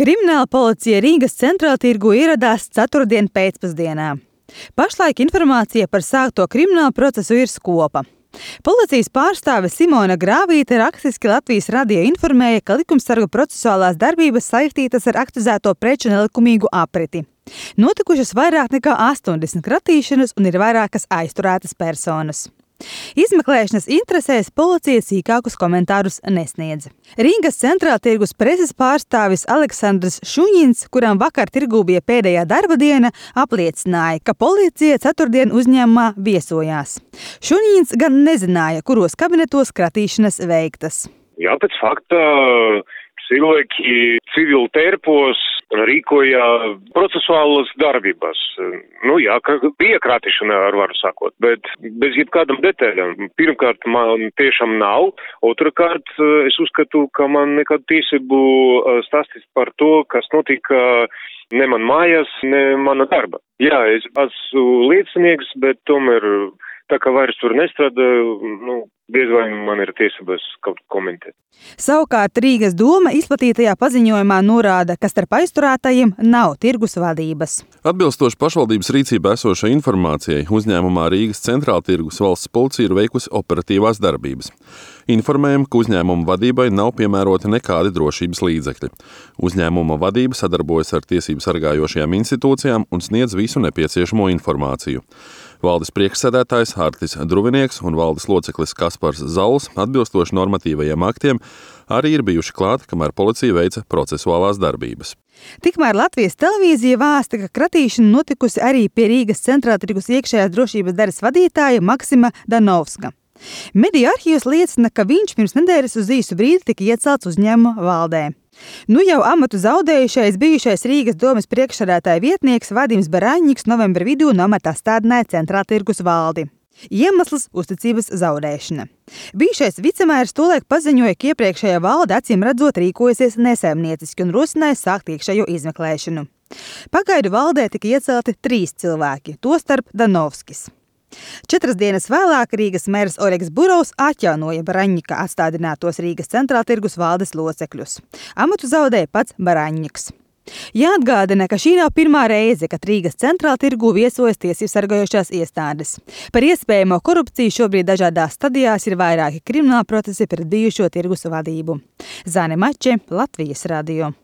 Krimināla policija Rīgas centrāltirgū ieradās ceturtdien pēcpusdienā. Pašlaik informācija par sākto kriminālu procesu ir skopa. Policijas pārstāve Simona Grāvīte rakstiski Latvijas radio informēja, ka likumsargu procesuālās darbības saistītas ar akcizēto preču nelikumīgu apriti. Notikušas vairāk nekā 80 kratīšanas un ir vairākas aizturētas personas. Izmeklēšanas interesēs policija sīkākus komentārus nesniedz. Rīgas centrāltirgus preses pārstāvis Aleksandrs Šuņins, kuram vakar tirgū bija pēdējā darba diena, apliecināja, ka policija ceturtdien uzņēmumā viesojās. Šuņins gan nezināja, kuros kabinetos kratīšanas veiktas. Jā, pēc fakta cilvēki civil tērpos rīkoja procesuālas darbības. Ka bija krātīšana, ar varu sakot, bet bez jebkādām detaļām. Pirmkārt, man tiešām nav. Otrakārt, es uzskatu, ka man nekādu tiesību stāstīt par to, kas notika ne man mājās, ne mana darba. Jā, es esmu liecinieks, bet tomēr tā kā vairs tur nestrādāju, diez vai man ir tiesības kaut ko komentēt. Savukārt Rīgas doma izplatītajā paziņojumā norāda, ka starp aizturētajiem nav tirgus vadības. Atbilstoši pašvaldības rīcībā esošai informācijai, uzņēmumā Rīgas centrāltirgus valsts policija ir veikusi operatīvās darbības. Informējam, ka uzņēmuma vadībai nav piemēroti nekādi drošības līdzekļi. Uzņēmuma vadība sadarbojas ar tiesību sargājošajām institūcijām un sniedz visu nepieciešamo informāciju. Valdes priekšsēdētājs Hārtis Druvinieks un valdes loceklis Kaspars Zauls atbilstoši normatīvajiem aktiem arī ir bijuši klāt, kamēr policija veica procesuālās darbības. Tikmēr Latvijas televīzija vēsta, ka kratīšana notikusi arī pie Rīgas centrāltirgus iekšējās drošības daļas vadītāja Maksima Danovska. Mediju arhīvs liecina, ka viņš pirms nedēļas uz īsu brīdi tika iecelts uzņēmuma valdē. Jau amatu zaudējušais bijušais Rīgas domes priekšsēdētāja vietnieks Vadims Baraņņiks novembra vidū no amata atstādināja centrāltirgus valdi. Iemesls – uzticības zaudēšana. Bijušais vicemērs tolaik paziņoja, ka iepriekšējā valde acīm redzot rīkojasies nesaimnieciski un rosināja sākt iekšējo izmeklēšanu. Pagaidu valdē tika iecelti 3 cilvēki, tostarp Danovskis. 4 dienas vēlāk Rīgas mērs Oļegs Burovs atjaunoja Baraņņika atstādinātos Rīgas centrāltirgus valdes locekļus. Amatu zaudēja pats Baraņņiks. Jāatgādina, ka šī nav pirmā reize, kad Rīgas centrāltirgū viesojas tiesību sargājošās iestādes. Par iespējamo korupciju šobrīd dažādās stadijās ir vairāki krimināla procesi pret bijušo tirgus vadību. Zane Mače, Latvijas radio.